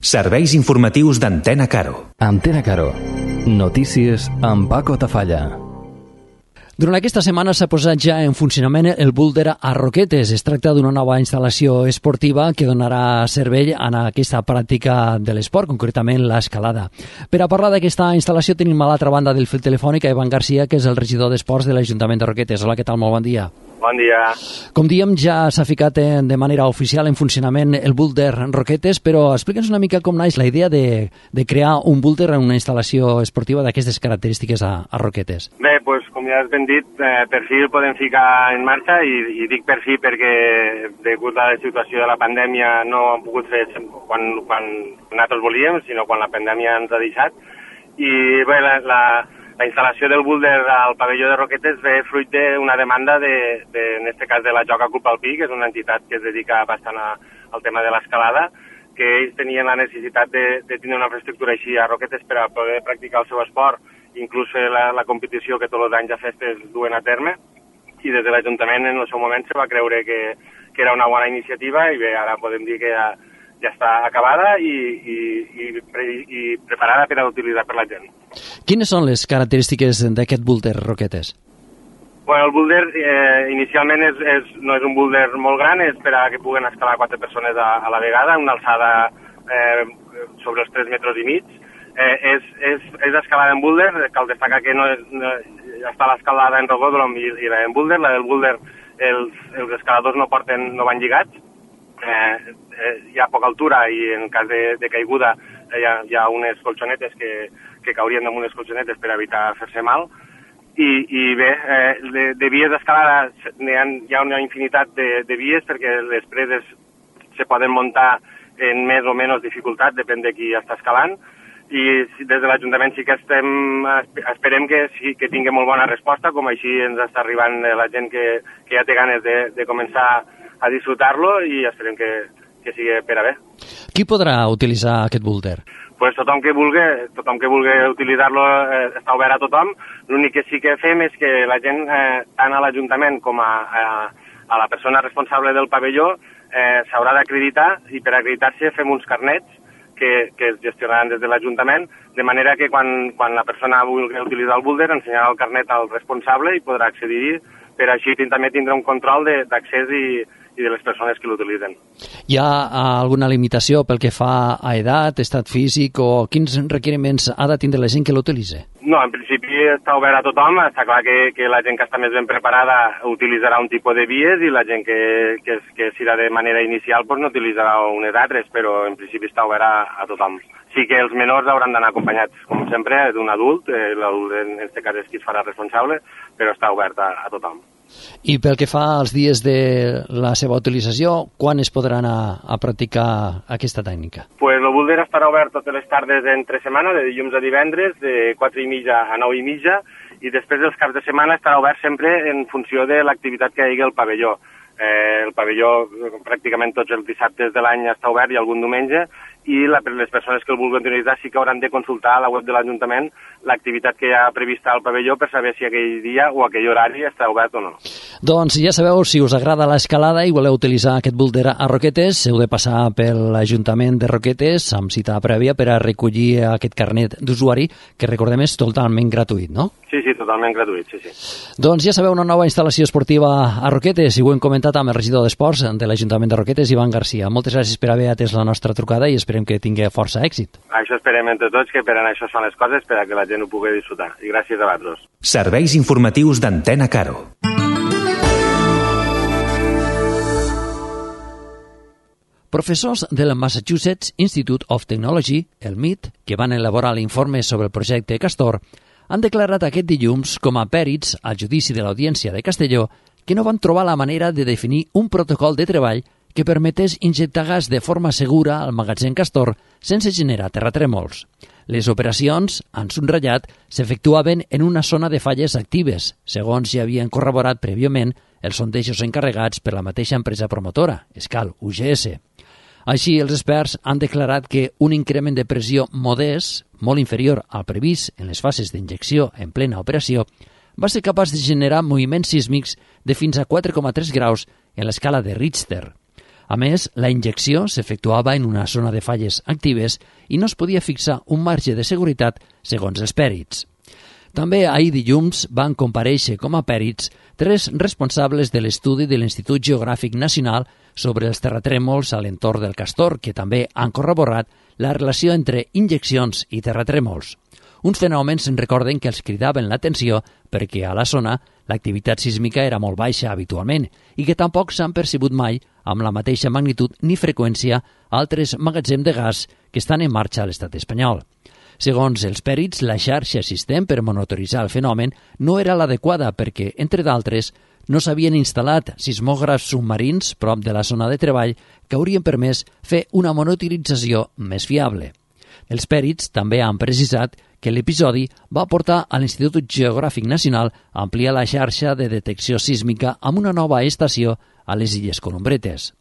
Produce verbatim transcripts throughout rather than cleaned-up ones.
Serveis informatius d'Antena Caro. Antena Caro. Notícies amb Paco Tafalla. Durant aquesta setmana s'ha posat ja en funcionament el búlder a Roquetes. Es tracta d'una nova instal·lació esportiva que donarà servei a aquesta pràctica de l'esport, concretament l'escalada. Per a parlar d'aquesta instal·lació tenim a l'altra banda del fil telefònic a Ivan Garcia, que és el regidor d'Esports de l'Ajuntament de Roquetes. Hola, què tal? Molt bon dia. Bon dia. Com diem, ja s'ha ficat de manera oficial en funcionament el búlder Roquetes, però explica'ns una mica com naix la idea de, de crear un búlder en una instal·lació esportiva d'aquestes característiques a, a Roquetes. Bé, doncs, com ja has ben dit, eh, per fi el podem ficar en marxa i, i dic per fi perquè degut a la situació de la pandèmia no ho hem pogut fer quan, quan nosaltres volíem, sinó quan la pandèmia ens ha deixat. I bé, la, la, la instal·lació del búlder al pavelló de Roquetes ve fruit d'una demanda, de, de, en aquest cas de la Joca Club Alpí, que és una entitat que es dedica bastant a, al tema de l'escalada, que ells tenien la necessitat de, de tenir una infraestructura així a Roquetes per a poder practicar el seu esport, inclús la, la competició que tots els anys a festes duen a terme, i des de l'Ajuntament en el seu moment se va creure que, que era una bona iniciativa i bé, ara podem dir que ja, ja està acabada i, i, i, i preparada per a utilitzar per la gent. Quines són les característiques d'aquest búlder Roquetes? Bueno, el búlder eh, inicialment és, és, no és un búlder molt gran, és per a que puguen escalar quatre persones a, a la vegada, una alçada eh, sobre els tres metres i mig. Eh, és, és, és escalada en búlder, cal destacar que no, és, no està l'escalada en rocòdrom i, i la en búlder. La del búlder, els, els escaladors no porten, no van lligats, eh, eh, hi ha poca altura i en cas de, de caiguda eh, hi, ha, hi ha unes colxonetes que, que caurien damunt unes colxonetes per evitar fer-se mal. I, i bé, eh, de, de vies d'escalada hi ha, hi ha una infinitat de, de vies perquè les preses se poden muntar en més o menys dificultat, depèn de qui està escalant. I des de l'Ajuntament sí que estem, esperem que, sí, que tingui molt bona resposta, com així ens està arribant la gent que, que ja té ganes de, de començar a disfrutar-lo i esperem que, que sigui per a bé. Qui podrà utilitzar aquest búlder? Pues tothom que vulgui, tothom que vulgui utilitzar-lo eh, està obert a tothom. L'únic que sí que fem és que la gent, eh, tant a l'Ajuntament com a, a, a la persona responsable del pavelló, eh, s'haurà d'acreditar i per acreditar-se fem uns carnets que, que es gestionaran des de l'Ajuntament, de manera que quan, quan la persona vulgui utilitzar el búlder ensenyarà el carnet al responsable i podrà accedir-hi, per així també tindrà un control d'accés i, i de les persones que l'utilitzen. Hi ha alguna limitació pel que fa a edat, estat físic o quins requeriments ha de tindre la gent que l'utilitza? No, en principi està obert a tothom, està clar que, que la gent que està més ben preparada utilitzarà un tipus de vies i la gent que, que, que serà de manera inicial pues, no utilitzarà unes altres, però en principi està obert a, a tothom. Sí que els menors hauran d'anar acompanyats, com sempre, d'un adult, eh, l'adult en aquest cas és qui es farà responsable, però està obert a, a tothom. I pel que fa als dies de la seva utilització, quan es podrà anar a practicar aquesta tècnica? Pues el búlder estarà obert totes les tardes entre setmana, de dilluns a divendres, de quatre i mitja a nou i mitja, i després dels caps de setmana estarà obert sempre en funció de l'activitat que hi hagi al pavelló. Eh, el pavelló pràcticament tots els dissabtes de l'any està obert i algun diumenge, i la, les persones que el vulguin utilitzar sí que hauran de consultar a la web de l'Ajuntament l'activitat que hi ha prevista al pavelló per saber si aquell dia o aquell horari està obert o no. Doncs ja sabeu, si us agrada l'escalada i voleu utilitzar aquest búlder a Roquetes, heu de passar per l'Ajuntament de Roquetes amb cita prèvia per a recollir aquest carnet d'usuari, que recordem és totalment gratuït, no? Sí, sí, totalment gratuït, sí, sí. Doncs ja sabeu, una nova instal·lació esportiva a Roquetes, i ho hem comentat amb el regidor d'Esports de l'Ajuntament de Roquetes, Ivan Garcia. Moltes gràcies per haver atès la nostra trucada i esperem que tingui força èxit. Això esperem entre tots, que per a això són les coses, per a que la gent ho pugui disfrutar. I gràcies a vosaltres. Serveis informatius d'Antena Caro. Professors del Massachusetts Institute of Technology, el M I T, que van elaborar l'informe sobre el projecte Castor, han declarat aquest dilluns com a pèrits al judici de l'Audiència de Castelló que no van trobar la manera de definir un protocol de treball que permetés injectar gas de forma segura al magatzem Castor sense generar terratrèmols. Les operacions, han subratllat, s'efectuaven en una zona de falles actives, segons ja havien corroborat prèviament els sondejos encarregats per la mateixa empresa promotora, Escal U G S. Així, els experts han declarat que un increment de pressió modest, molt inferior al previst en les fases d'injecció en plena operació, va ser capaç de generar moviments sísmics de fins a quatre coma tres graus en l'escala de Richter. A més, la injecció s'efectuava en una zona de falles actives i no es podia fixar un marge de seguretat segons els pèrits. També ahir dilluns van comparèixer com a pèrits tres responsables de l'estudi de l'Institut Geogràfic Nacional sobre els terratrèmols a l'entorn del Castor, que també han corroborat la relació entre injeccions i terratrèmols. Uns fenòmens en recorden que els cridaven l'atenció perquè a la zona l'activitat sísmica era molt baixa habitualment i que tampoc s'han percebut mai amb la mateixa magnitud ni freqüència altres magatzems de gas que estan en marxa a l'estat espanyol. Segons els pèrits, la xarxa existent per monitoritzar el fenomen no era l'adequada perquè, entre d'altres, no s'havien instal·lat sismògrafs submarins prop de la zona de treball que haurien permès fer una monitorització més fiable. Els pèrits també han precisat que l'episodi va portar a l'Institut Geogràfic Nacional a ampliar la xarxa de detecció sísmica amb una nova estació a les Illes Columbretes.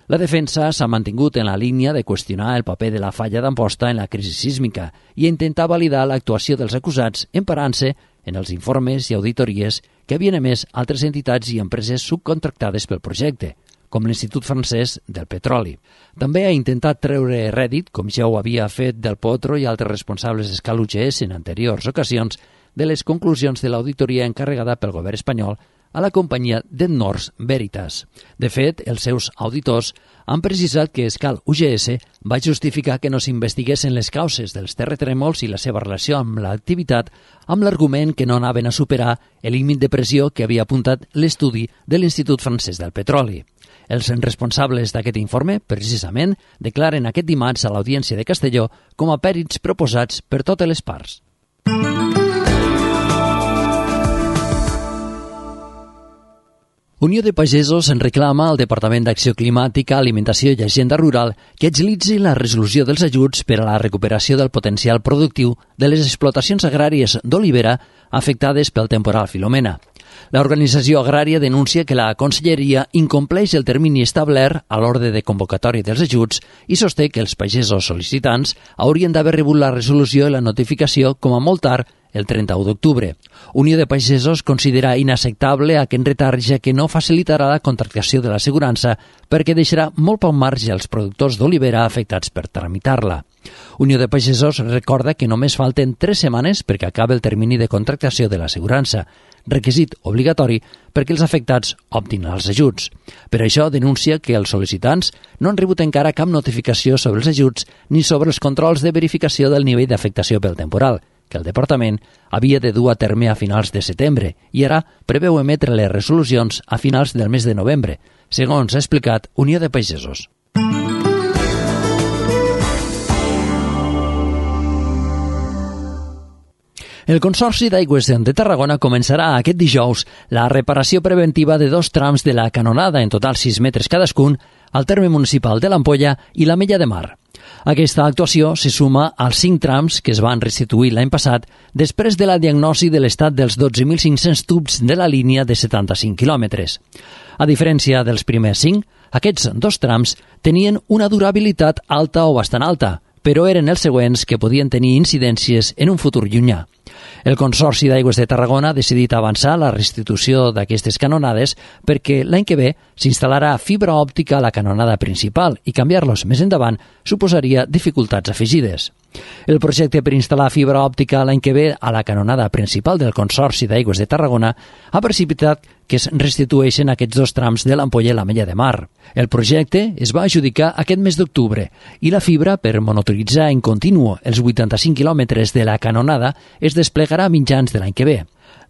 La defensa s'ha mantingut en la línia de qüestionar el paper de la falla d'Amposta en la crisi sísmica i intentar validar l'actuació dels acusats emparant-se en els informes i auditories que havien emès altres entitats i empreses subcontractades pel projecte, com l'Institut Francès del Petroli. També ha intentat treure rèdit, com ja ho havia fet Del Potro i altres responsables d'Escal U G S en anteriors ocasions, de les conclusions de l'auditoria encarregada pel govern espanyol a la companyia d'Ennors Veritas. De fet, els seus auditors han precisat que Escal U G S va justificar que no s'investiguessin les causes dels terratrèmols i la seva relació amb l'activitat amb l'argument que no anaven a superar el límit de pressió que havia apuntat l'estudi de l'Institut Francès del Petroli. Els responsables d'aquest informe, precisament, declaren aquest dimarts a l'Audiència de Castelló com a pèrits proposats per totes les parts. Unió de Pagesos en reclama al Departament d'Acció Climàtica, Alimentació i Agenda Rural que agilitzi la resolució dels ajuts per a la recuperació del potencial productiu de les explotacions agràries d'olivera afectades pel temporal Filomena. L'organització agrària denuncia que la Conselleria incompleix el termini establert a l'ordre de convocatòria dels ajuts i sosté que els pagesos sol·licitants haurien d'haver rebut la resolució i la notificació com a molt tard el trenta-u d'octubre. Unió de Pagesos considera inacceptable aquest retard ja que no facilitarà la contractació de l'assegurança perquè deixarà molt poc marge als productors d'olivera afectats per tramitar-la. Unió de Pagesos recorda que només falten tres setmanes perquè acabi el termini de contractació de l'assegurança, requisit obligatori perquè els afectats optin els ajuts. Per això denuncia que els sol·licitants no han rebut encara cap notificació sobre els ajuts ni sobre els controls de verificació del nivell d'afectació pel temporal, que el Departament havia de dur a terme a finals de setembre i ara preveu emetre les resolucions a finals del mes de novembre, segons ha explicat Unió de Pagesos. El Consorci d'Aigües de Tarragona començarà aquest dijous la reparació preventiva de dos trams de la canonada, en total sis metres cadascun, al terme municipal de l'Ampolla i l'Ametlla de Mar. Aquesta actuació se suma als cinc trams que es van restituir l'any passat després de la diagnosi de l'estat dels dotze mil cinc-cents tubs de la línia de setanta-cinc quilòmetres. A diferència dels primers cinc, aquests dos trams tenien una durabilitat alta o bastant alta, però eren els següents que podien tenir incidències en un futur llunyà. El Consorci d'Aigües de Tarragona ha decidit avançar la restitució d'aquestes canonades perquè l'any que ve s'instal·larà fibra òptica a la canonada principal i canviar-los més endavant suposaria dificultats afegides. El projecte per instal·lar fibra òptica l'any que ve a la canonada principal del Consorci d'Aigües de Tarragona ha precipitat que es restitueixen aquests dos trams de l'Ampolla i l'Ametlla de Mar. El projecte es va adjudicar aquest mes d'octubre i la fibra per monitoritzar en continu els vuitanta-cinc quilòmetres de la canonada es desplegarà a mitjans de l'any que ve.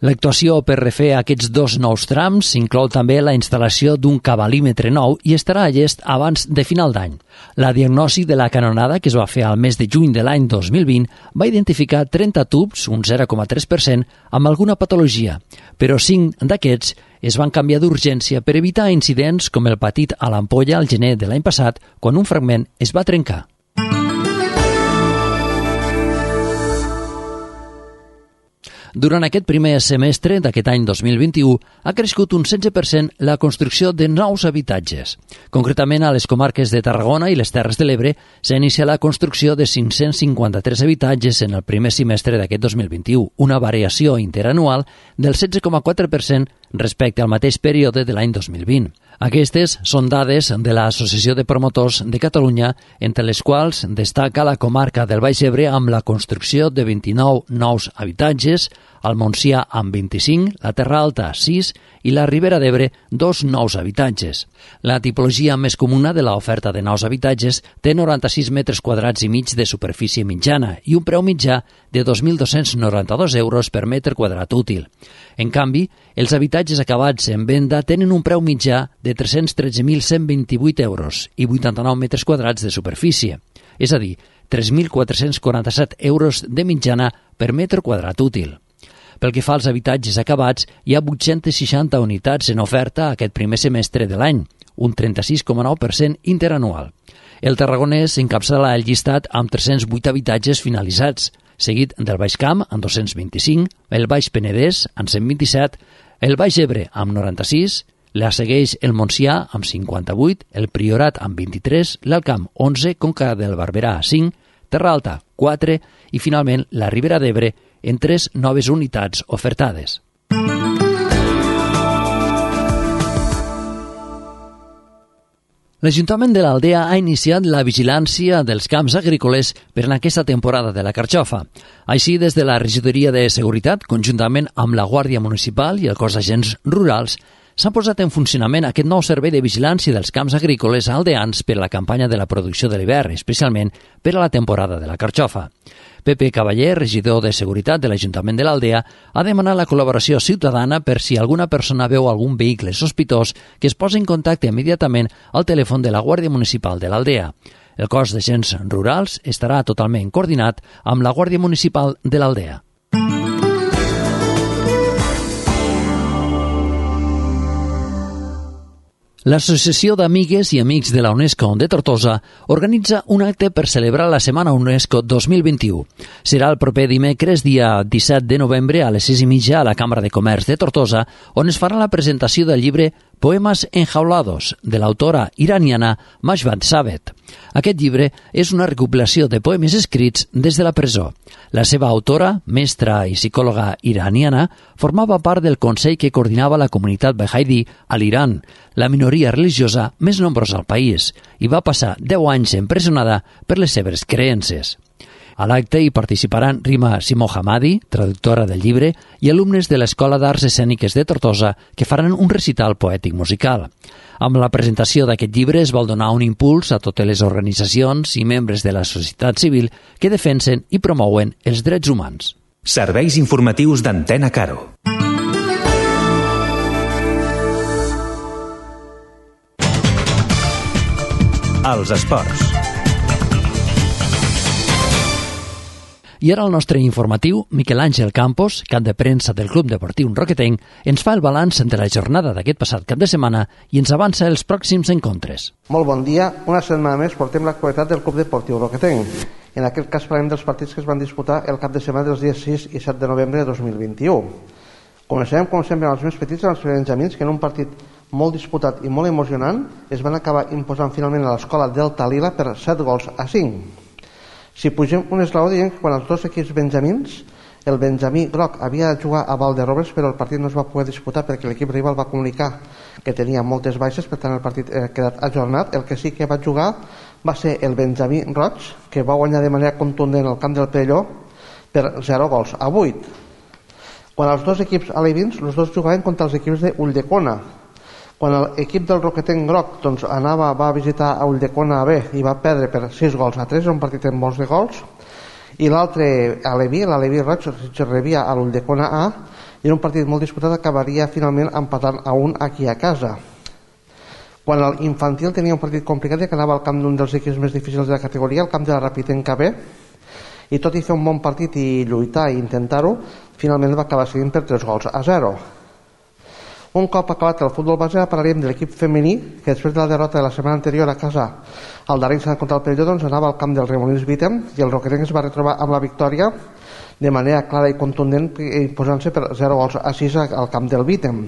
L'actuació per refer aquests dos nous trams inclou també la instal·lació d'un cabalímetre nou i estarà a llest abans de final d'any. La diagnosi de la canonada, que es va fer al mes de juny de l'any dos mil vint, va identificar trenta tubs, un zero coma tres per cent, amb alguna patologia, però cinc d'aquests es van canviar d'urgència per evitar incidents com el patit a l'Ampolla al gener de l'any passat, quan un fragment es va trencar. Durant aquest primer semestre d'aquest any dos mil vint-i-u ha crescut un setze per cent la construcció de nous habitatges. Concretament, a les comarques de Tarragona i les Terres de l'Ebre s'ha iniciat la construcció de cinc-cents cinquanta-tres habitatges en el primer semestre d'aquest dos mil vint-i-u, una variació interanual del setze coma quatre per cent respecte al mateix període de l'any dos mil vint. Aquestes són dades de l'Associació de Promotors de Catalunya, entre les quals destaca la comarca del Baix Ebre amb la construcció de vint-i-nou nous habitatges, el Montsià amb vint-i-cinc, la Terra Alta sis i la Ribera d'Ebre dos nous habitatges. La tipologia més comuna de l'oferta de nous habitatges té noranta-sis metres quadrats i mig de superfície mitjana i un preu mitjà de dos mil dos-cents noranta-dos euros per metre quadrat útil. En canvi, els habitatges acabats en venda tenen un preu mitjà de tres-cents tretze mil cent vint-i-vuit euros i vuitanta-nou metres quadrats de superfície, és a dir, tres mil quatre-cents quaranta-set euros de mitjana per metre quadrat útil. Pel que fa als habitatges acabats, hi ha vuit-centes seixanta unitats en oferta aquest primer semestre de l'any, un trenta-sis coma nou per cent interanual. El tarragonès encapçala el llistat amb tres-cents vuit habitatges finalitzats, seguit del Baix Camp amb dos-cents vint-i-cinc, el Baix Penedès amb cent vint-i-set, el Baix Ebre amb noranta-sis, la segueix el Montsià amb cinquanta-vuit, el Priorat amb vint-i-tres, l'Alt Camp onze, Conca del Barberà cinc, Terra Alta quatre i finalment la Ribera d'Ebre en tres noves unitats ofertades. L'Ajuntament de l'Aldea ha iniciat la vigilància dels camps agrícoles per en aquesta temporada de la carxofa. Així, des de la Regidoria de Seguretat, conjuntament amb la Guàrdia Municipal i el cos d'agents rurals, s'ha posat en funcionament aquest nou servei de vigilància dels camps agrícoles aldeans per a la campanya de la producció de l'hivern, especialment per a la temporada de la carxofa. Pepe Cavaller, regidor de Seguretat de l'Ajuntament de l'Aldea, ha demanat la col·laboració ciutadana per si alguna persona veu algun vehicle sospitós que es posi en contacte immediatament al telèfon de la Guàrdia Municipal de l'Aldea. El cos d'agents rurals estarà totalment coordinat amb la Guàrdia Municipal de l'Aldea. L'Associació d'Amigues i Amics de la UNESCO de Tortosa organitza un acte per celebrar la Setmana UNESCO dos mil vint-i-u. Serà el proper dimecres, dia disset de novembre, a les sis i mitja a la Cambra de Comerç de Tortosa, on es farà la presentació del llibre Poemas enjaulados, de l'autora iraniana Mashbat Sabet. Aquest llibre és una recopilació de poemes escrits des de la presó. La seva autora, mestra i psicòloga iraniana, formava part del consell que coordinava la comunitat Baha'i a l'Iran, la minoria religiosa més nombrosa al país, i va passar deu anys empresonada per les seves creences. A l'acte hi participaran Rima Simohamadi, traductora del llibre, i alumnes de l'Escola d'Arts Escèniques de Tortosa que faran un recital poètic musical. Amb la presentació d'aquest llibre es vol donar un impuls a totes les organitzacions i membres de la societat civil que defensen i promouen els drets humans. Serveis informatius d'Antena Caro. Els esports. I ara el nostre informatiu, Miquel Àngel Campos, cap de premsa del Club Deportiu Roquetenc, ens fa el balanç de la jornada d'aquest passat cap de setmana i ens avança els pròxims encontres. Molt bon dia. Una setmana més portem l'actualitat del Club Deportiu Roquetenc. En aquest cas parlem dels partits que es van disputar el cap de setmana dels dies sis i set de novembre de dos mil vint-i-u. Comencem, com sempre, amb els més petits, amb els benjamins, que en un partit molt disputat i molt emocionant es van acabar imposant finalment a l'escola Delta Lila per set gols a cinc. Si pugem un esglaó, diem que quan els dos equips benjamins, el benjamí groc havia de jugar a Valderrobres, però el partit no es va poder disputar perquè l'equip rival va comunicar que tenia moltes baixes, per tant el partit ha quedat ajornat. El que sí que va jugar va ser el benjamí roig, que va guanyar de manera contundent al camp del Perelló per zero gols a vuit. Quan els dos equips alevins, els dos jugaven contra els equips de Ulldecona. Quan l'equip del Roquetenc groc doncs, anava, va visitar a Ulldecona B i va perdre per sis gols a tres, un partit amb molts de gols, i l'altre aleví, l'aleví roig, rebia a l'Ulldecona A, i en un partit molt disputat acabaria finalment empatant a un aquí a casa. Quan l'infantil tenia un partit complicat i que anava al camp d'un dels equips més difícils de la categoria, el camp de la Rapitenca B, i tot i fer un bon partit i lluitar i intentar-ho, finalment va acabar seguint per tres gols a zero. Un cop acabat el futbol base, parlaríem de l'equip femení, que després de la derrota de la setmana anterior a casa al Darrensa contra el Perelló, doncs anava al camp del Remolins Vítem i el Roquetenc es va retrobar amb la victòria de manera clara i contundent, imposant-se per zero gols a sis al camp del Vítem.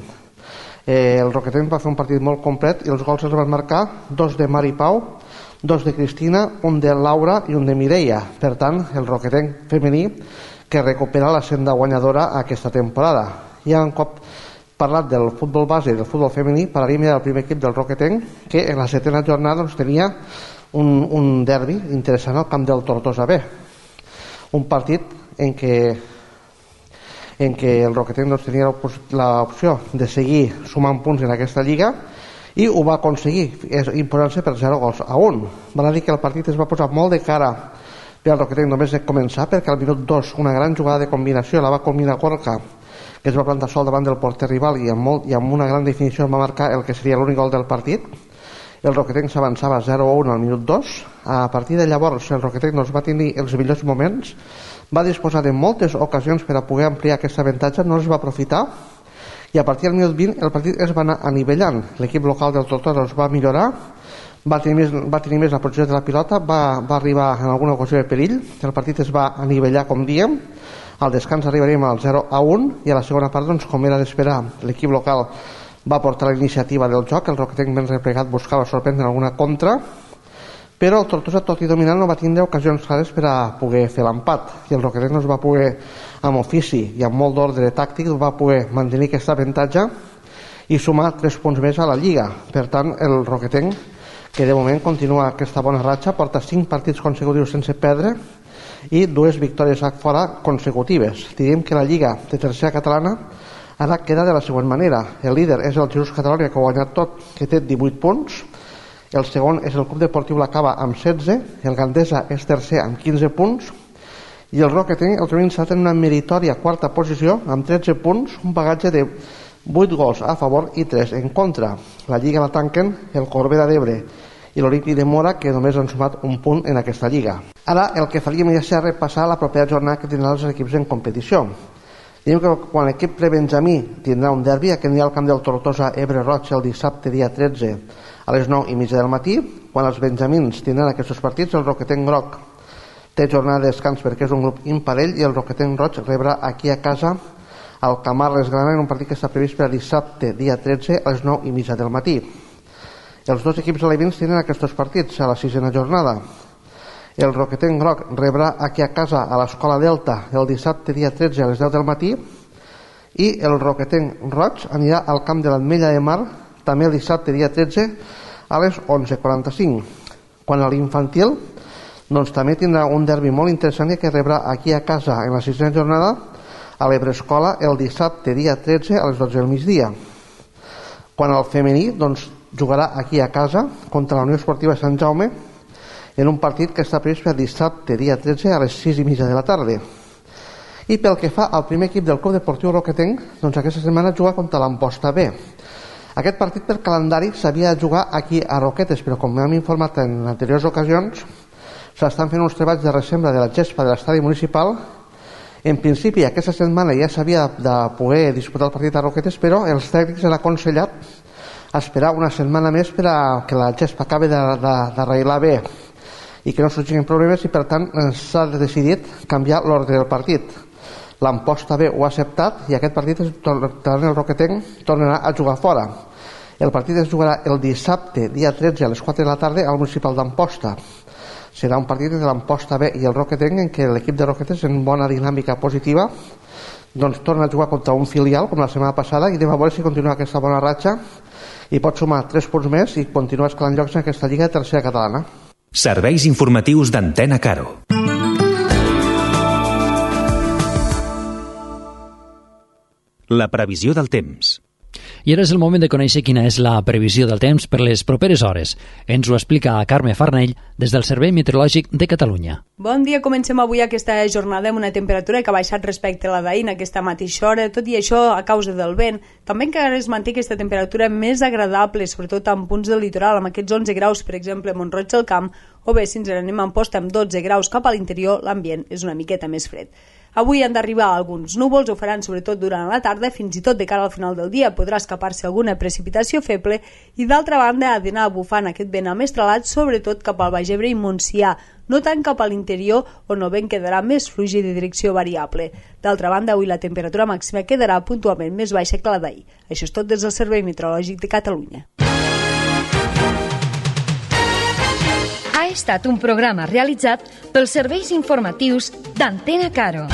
Eh, el Roquetenc va fer un partit molt complet i els gols els van marcar dos de Mari Pau, dos de Cristina, un de Laura i un de Mireia. Per tant, el Roquetenc femení que recupera la senda guanyadora aquesta temporada. I un cop parlat del futbol base i del futbol femení, parlaríem del primer equip del Roquetenc, que en la setena jornada doncs, tenia un, un derbi interessant al camp del Tortosa B. Un partit en què, en què el Roquetenc doncs, tenia l'opció de seguir sumant punts en aquesta lliga i ho va aconseguir, imposant-se per zero gols a un. Val a dir que el partit es va posar molt de cara per al Roquetenc només de començar, perquè al minut dos una gran jugada de combinació la va combinar Gorka, que es va plantar sol davant del porter rival i amb, molt, i amb una gran definició va marcar el que seria l'únic gol del partit. El Roquetenc s'avançava zero a un al minut dos. A partir de llavors el Roquetenc doncs, va tenir els millors moments, va disposar de moltes ocasions per a poder ampliar aquest avantatge, no els va aprofitar, i a partir del minut vint el partit es va anar anivellant. L'equip local del Tortosa doncs, va millorar, va tenir, més, va tenir més la posició de la pilota, va, va arribar en alguna ocasió de perill, el partit es va anivellar, com diem. Al descans arribaríem al zero a un i a la segona part, doncs, com era d'esperar, l'equip local va portar la iniciativa del joc, el Roquetenc ben replegat buscava sorprendre alguna contra, però el Tortosa, tot i dominant, no va tindre ocasions clares per a poder fer l'empat, i el Roquetenc no es va poder, amb ofici i amb molt d'ordre tàctic, va poder mantenir aquest avantatge i sumar tres punts més a la Lliga. Per tant, el Roquetenc, que de moment continua aquesta bona ratxa, porta cinc partits consecutius sense perdre i dues victòries a fora consecutives. Diríem que la Lliga de tercera catalana ara queda de la següent manera. El líder és el Jesús Catalonia, que ha guanyat tot, que té divuit punts. El segon és el Club Deportiu La Cava amb setze, el Gandesa és tercer amb quinze punts i el Roquetenc el trobem instal·lat en una meritòria quarta posició amb tretze punts, un bagatge de vuit gols a favor i tres en contra. La Lliga la tanquen el Corbera d'Ebre i l'Olímpic de Mora, que només han sumat un punt en aquesta lliga. Ara el que faríem ja serà repassar la propera jornada que tindran els equips en competició. Diem que quan l'equip prebenjamí tindrà un derbi, aquest anirà al camp del Tortosa Ebre Roig el dissabte dia tretze a les nou i mitja del matí. Quan els benjamins tindran aquests partits, el Roquetenc Groc té jornada de descans perquè és un grup imparell i el Roquetenc Roig rebrà aquí a casa al Camarles Grana en un partit que està previst per a dissabte dia tretze a les nou i mitja del matí. Els dos equips alevins tenen aquests partits a la sisena jornada. El Roquetenc Groc rebrà aquí a casa a l'Escola Delta el dissabte dia tretze a les deu del matí i el Roquetenc Roig anirà al camp de l'Ametlla de Mar també el dissabte dia tretze a les onze quaranta-cinc. Quan a l'infantil doncs també tindrà un derbi molt interessant que rebrà aquí a casa en la sisena jornada a l'Ebrescola el dissabte dia tretze a les dotze del migdia. Quan al femení doncs jugarà aquí a casa contra la Unió Esportiva Sant Jaume en un partit que està previst per dissabte dia tretze a les sis i mitja de la tarda. I pel que fa al primer equip del Club Deportiu Roquetenc, doncs aquesta setmana juga contra l'Amposta B. Aquest partit per calendari s'havia de jugar aquí a Roquetes, però com hem informat en anteriors ocasions, s'estan fent uns treballs de ressembra de la gespa de l'estadi municipal. En principi aquesta setmana ja s'havia de poder disputar el partit a Roquetes, però els tècnics han aconsellat esperar una setmana més per a que la gespa acabi d'arreglar bé i que no sorgin problemes, i per tant s'ha decidit canviar l'ordre del partit. L'Amposta B ho ha acceptat i aquest partit el Roquetenc tornarà a jugar fora. El partit es jugarà el dissabte dia tretze a les quatre de la tarda al municipal d'Amposta. Serà un partit entre l'Amposta B i el Roquetenc en què l'equip de Roquetes, en bona dinàmica positiva, doncs torna a jugar contra un filial com la setmana passada i anem a veure si continua aquesta bona ratxa i pot sumar tres punts més i continuar escalant llocs en aquesta lliga de tercera catalana. Serveis informatius d'Antena Caro. La previsió del temps. I ara és el moment de conèixer quina és la previsió del temps per les properes hores. Ens ho explica Carme Farnell des del Servei Meteorològic de Catalunya. Bon dia, comencem avui aquesta jornada amb una temperatura que ha baixat respecte a la d'ahir en aquesta mateixa hora, tot i això a causa del vent. També encara es manté aquesta temperatura més agradable, sobretot en punts del litoral, amb aquests onze graus, per exemple, a Mont-roig del Camp, o bé, si ens n'anem a Amposta amb dotze graus cap a l'interior, l'ambient és una miqueta més fred. Avui han d'arribar alguns núvols, ho faran sobretot durant la tarda, fins i tot de cara al final del dia podrà escapar-se alguna precipitació feble i d'altra banda ha d'anar bufant aquest vent amestralat, sobretot cap al Baix Ebre i Montsià, no tant cap a l'interior on el vent quedarà més fluix i de direcció variable. D'altra banda, avui la temperatura màxima quedarà puntualment més baixa que la d'ahir. Això és tot des del Servei Meteorològic de Catalunya. Ha estat un programa realitzat pels serveis informatius d'Antena Caro.